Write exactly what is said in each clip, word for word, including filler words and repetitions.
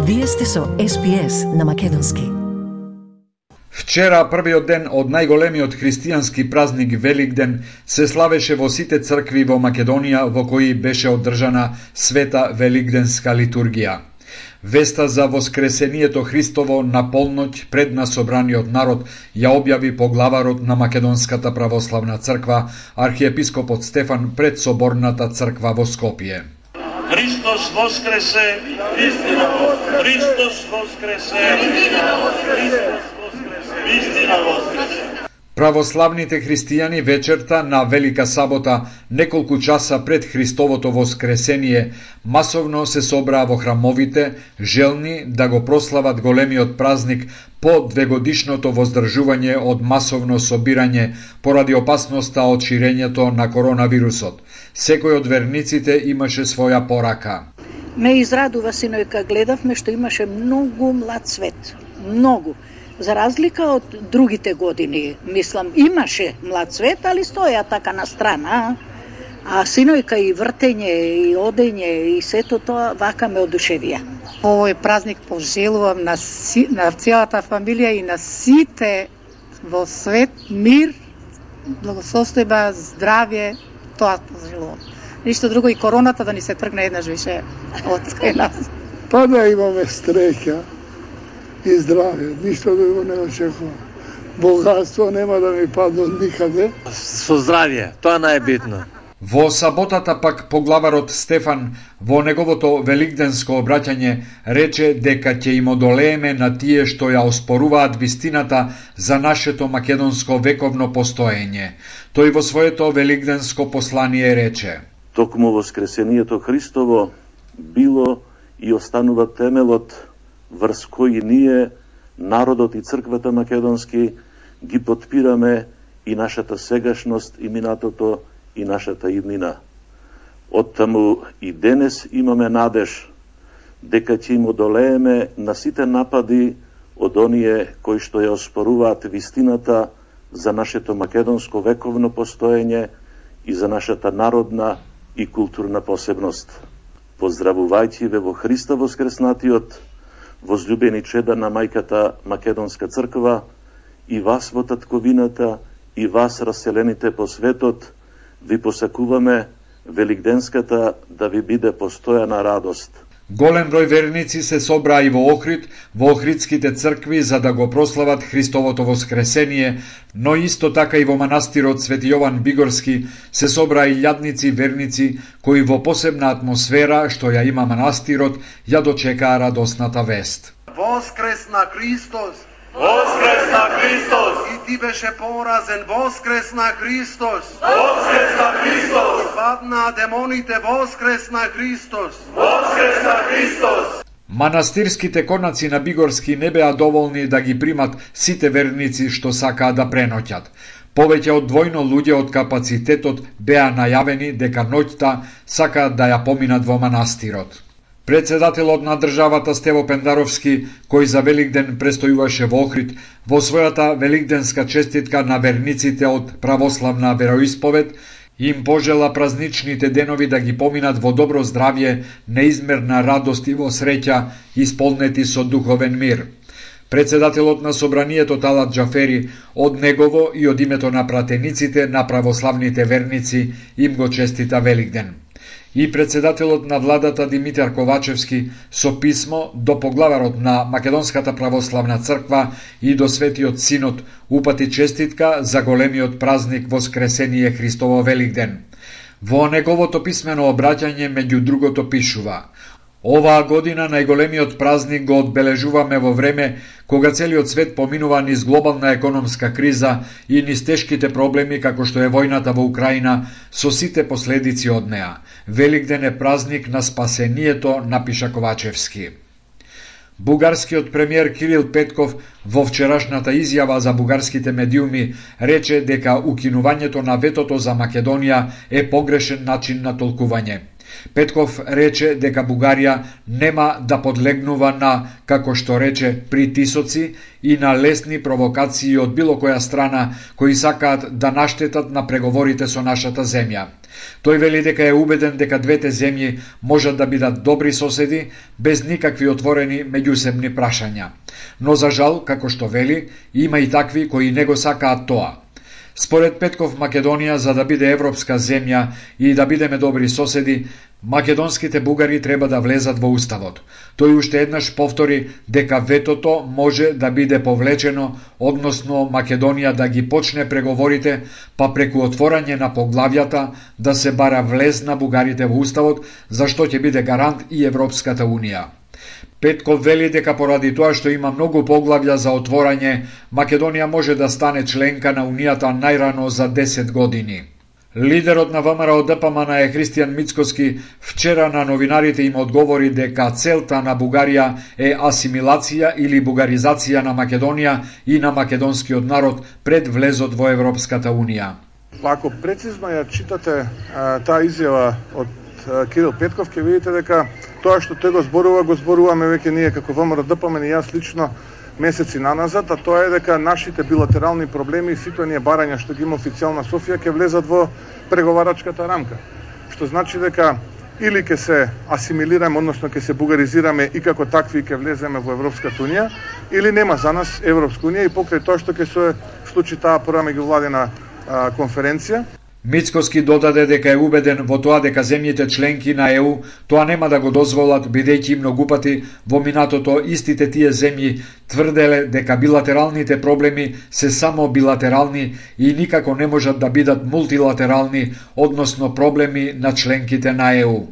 Вие сте со Ес Би Ес на македонски. Вчера, првиот ден од најголемиот христијански празник Великден, се славеше во сите цркви во Македонија во кои беше одржана света великденска литургија. Веста за воскресението Христово на полноќ пред на собраниот народ ја објави поглаварот на Македонската православна црква, архиепископот Стефан, пред соборната црква во Скопје. Христос воскресе! Христос воскресе! Вистина воскресе! Православните христијани вечерта на Велика сабота, неколку часа пред Христовото воскресение, масовно се собраа во храмовите, желни да го прослават големиот празник по двегодишното воздржување од масовно собирање поради опасноста од ширењето на коронавирусот. Секој од верниците имаше своја порака. Ме израдува, синојка, гледавме што имаше многу млад свет. Многу. За разлика од другите години, мислам, имаше млад свет, али стоја така на страна. А синојка и вртење, и одење, и сето тоа вака ме одушевија. Овој празник пожелувам на, си, на целата фамилија и на сите во свет мир, благосостојба, здравје, тоа пожелувам. Ништо друго, и короната да ни се тргне еднаш више од кај нас. Па да имаме среќа и здравје, ништо друго не очекувам. Богатство нема да ми падне никаде. Со здравје, тоа најбитно. Во саботата пак поглаварот Стефан во неговото великденско обраќање рече дека ќе им одолееме на тие што ја оспоруваат вистината за нашето македонско вековно постоење. Тој во своето великденско послание рече: Токму воскресението Христово било и останува темелот врз кој ние, народот и црквата македонски, ги потпираме и нашата сегашност и минатото и нашата иднина. Оттаму и денес имаме надеж дека ќе им одолееме на сите напади од оние кои што ја оспоруваат вистината за нашето македонско вековно постоење и за нашата народна и културна посебност. Поздравувајќи ве во Христа воскреснатиот, возлюбени чеда на мајката Македонска црква, и вас во татковината, и вас раселените по светот, ви посакуваме великденската да ви биде постојана радост. Голем број верници се собраа и во Охрид, во охридските цркви за да го прослават Христовото воскресение, но исто така и во манастирот Свети Јован Бигорски се собраа илјадници верници кои во посебна атмосфера што ја има манастирот ја дочекаа радосната вест. Воскресна Христос! Воскресна Христос! И ти беше поразен, воскресна Христос! Воскресна Христос! И паднаа демоните, воскресна Христос! Воскресна Христос! Манастирските конаци на Бигорски не беа доволни да ги примат сите верници што сакаа да преноќат. Повеќе од двојно луѓе од капацитетот беа најавени дека ноќта сакаат да ја поминат во манастирот. Председателот на државата Стево Пендаровски, кој за Великден престојуваше во Охрид, во својата великденска честитка на верниците од православна вероисповед, им пожела празничните денови да ги поминат во добро здравје, неизмерна радост и во среќа, исполнети со духовен мир. Председателот на собранието Талат Џафери од негово и од името на пратениците на православните верници им го честита Великден. И председателот на владата Димитар Ковачевски со писмо до поглаварот на Македонската православна црква и до Светиот Синод упати честитка за големиот празник Воскресение Христово Великден. Во неговото писмено обраќање меѓу другото пишува: Оваа година најголемиот празник го одбележуваме во време кога целиот свет поминува низ глобална економска криза и низ тешките проблеми како што е војната во Украина со сите последици од неа. Великден е празник на спасението, напиша Ковачевски. Бугарскиот премиер Кирил Петков во вчерашната изјава за бугарските медиуми рече дека укинувањето на ветото за Македонија е погрешен начин на толкување. Петков рече дека Бугарија нема да подлегнува на, како што рече, притисоци и на лесни провокации од било која страна кои сакаат да наштетат на преговорите со нашата земја. Тој вели дека е убеден дека двете земји можат да бидат добри соседи без никакви отворени меѓусебни прашања. Но за жал, како што вели, има и такви кои не го сакаат тоа. Според Петков, Македонија, за да биде европска земја и да бидеме добри соседи, македонските бугари треба да влезат во уставот. Тој уште еднаш повтори дека ветото може да биде повлечено, односно Македонија да ги почне преговорите, па преку отворање на поглавјата да се бара влез на бугарите во уставот, за што ќе биде гарант и Европската унија. Петков вели дека поради тоа што има многу поглавја за отворање, Македонија може да стане членка на Унијата најрано за десет години. Лидерот на ВМРО Д П М Н е Христијан Мицкоски вчера на новинарите им одговори дека целта на Бугарија е асимилација или бугаризација на Македонија и на македонскиот народ пред влезот во Европската Унија. Ако прецизно ја читате а, таа изјава од а, Кирил Петков, ќе видите дека тоа што тој го зборува, го зборуваме веќе ние како ВМРО Д П М Н и јас лично месеци наназад, а тоа е дека нашите билатерални проблеми и сите оние барања што ги има официјална Софија ќе влезат во преговарачката рамка. Што значи дека или ќе се асимилираме, односно ќе се бугаризираме и како такви ќе влеземе во Европската унија, или нема за нас Европска унија и покрај тоа што ќе се случи таа прва меѓувладина конференција. Мицкоски додаде дека е убеден во тоа дека земјите членки на Е У тоа нема да го дозволат, бидејќи многу пати во минатото истите тие земји тврделе дека билатералните проблеми се само билатерални и никако не можат да бидат мултилатерални, односно проблеми на членките на Е У.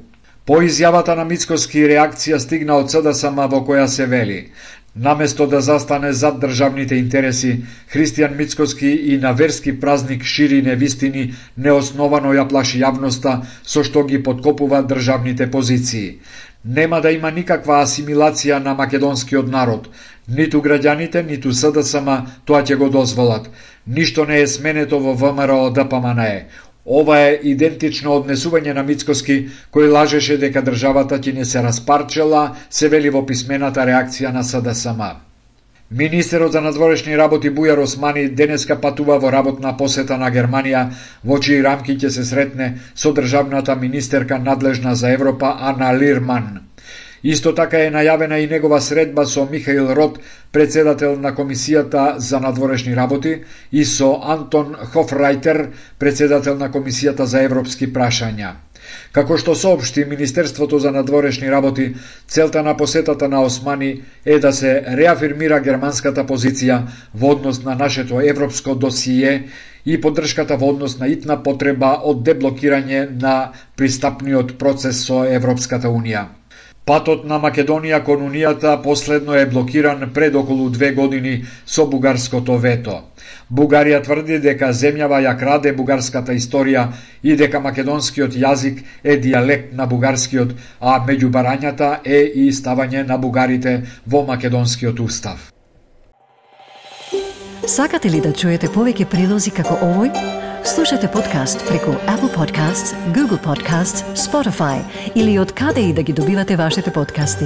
По изјавата на Мицкоски реакција стигна од С Д С М во која се вели: наместо да застане зад државните интереси, Христијан Мицкоски и на верски празник шири невистини, неосновано ја плаши јавноста со што ги подкопува државните позиции. Нема да има никаква асимилација на македонскиот народ. Ниту граѓаните, ниту С Д С М тоа ќе го дозволат. Ништо не е сменето во ВМРО Д П М Н. Ова е идентично однесување на Мицкоски, кој лажеше дека државата ќе не се распарчела, се вели во писмената реакција на С Д С М. Министерот за надворешни работи Бујар Османи денеска патува во работна посета на Германија, во чии рамки ќе се сретне со државната министерка надлежна за Европа Ана Лирман. Исто така е најавена и негова средба со Михаил Рот, председател на Комисијата за надворешни работи, и со Антон Хофрајтер, председател на Комисијата за европски прашања. Како што соопшти Министерството за надворешни работи, целта на посетата на Османи е да се реафирмира германската позиција во однос на нашето европско досие и поддршката во однос на итна потреба од деблокирање на пристапниот процес со Европската унија. Патот на Македонија кон Унијата последно е блокиран пред околу две години со бугарското вето. Бугарија тврди дека земјава ја краде бугарската историја и дека македонскиот јазик е дијалект на бугарскиот, а меѓу барањата е и ставање на бугарите во македонскиот устав. Сакате ли да чуете повеќе прилози како овој? Слушате подкаст преку Apple Podcasts, Google Podcasts, Spotify или од каде и да ги добивате вашите подкасти.